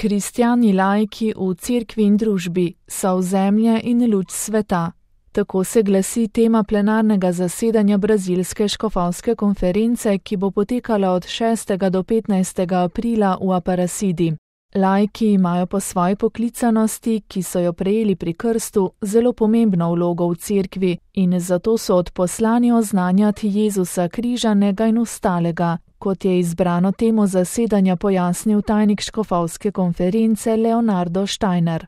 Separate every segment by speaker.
Speaker 1: Kristjani laiki v cerkvi in družbi, sol zemlje in luč sveta. Tako se glasi tema plenarnega zasedanja brazilske škofovske konference, ki bo potekala od 6. do 15. aprila v Aparecidi. Laiki imajo po svoji poklicanosti, ki so jo prejeli pri krstu, zelo pomembno vlogo v cerkvi in zato so odposlani oznanjati Jezusa križanega in vstalega, kot je izbrano temo zasedanja pojasnil tajnik škofovske konference Leonardo Steiner.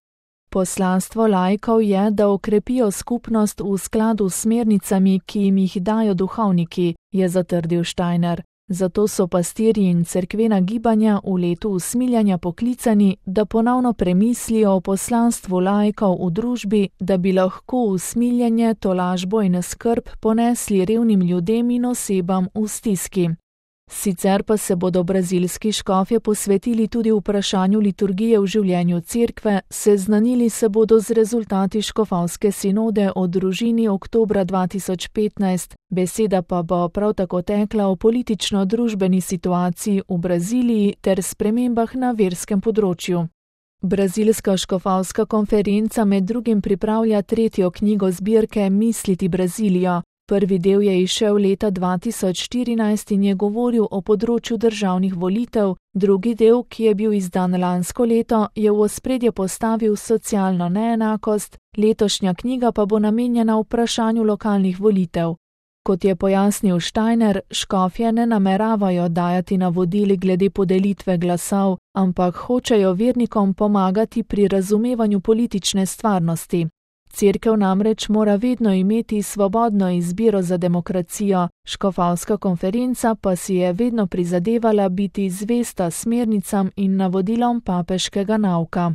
Speaker 1: Poslanstvo laikov je, da okrepijo skupnost v skladu s smernicami, ki jim jih dajo duhovniki, je zatrdil Steiner. Zato so pastirji in cerkvena gibanja v letu usmiljanja poklicani, da ponovno premislijo o poslanstvu laikov v družbi, da bi lahko usmiljanje, tolažbo in skrb ponesli revnim ljudem in osebam v stiski. Sicer pa se bodo brazilski škofje posvetili tudi vprašanju liturgije v življenju cerkve, seznanili se bodo z rezultati škofovske sinode o družini oktobra 2015, beseda pa bo prav tako tekla o politično-družbeni situaciji v Braziliji ter spremembah na verskem področju. Brazilska škofovska konferenca med drugim pripravlja 3. knjigo zbirke Misliti Brazilijo. Prvi del je izšel leta 2014 in je govoril o področju državnih volitev, drugi del, ki je bil izdan lansko leto, je v ospredje postavil socialno neenakost, letošnja knjiga pa bo namenjena vprašanju lokalnih volitev. Kot je pojasnil Steiner, škofje ne nameravajo dajati navodili glede podelitve glasov, ampak hočejo vernikom pomagati pri razumevanju politične stvarnosti. Cerkev namreč mora vedno imeti svobodno izbiro za demokracijo, škofovska konferenca pa si je vedno prizadevala biti zvesta smernicam in navodilom papeškega nauka.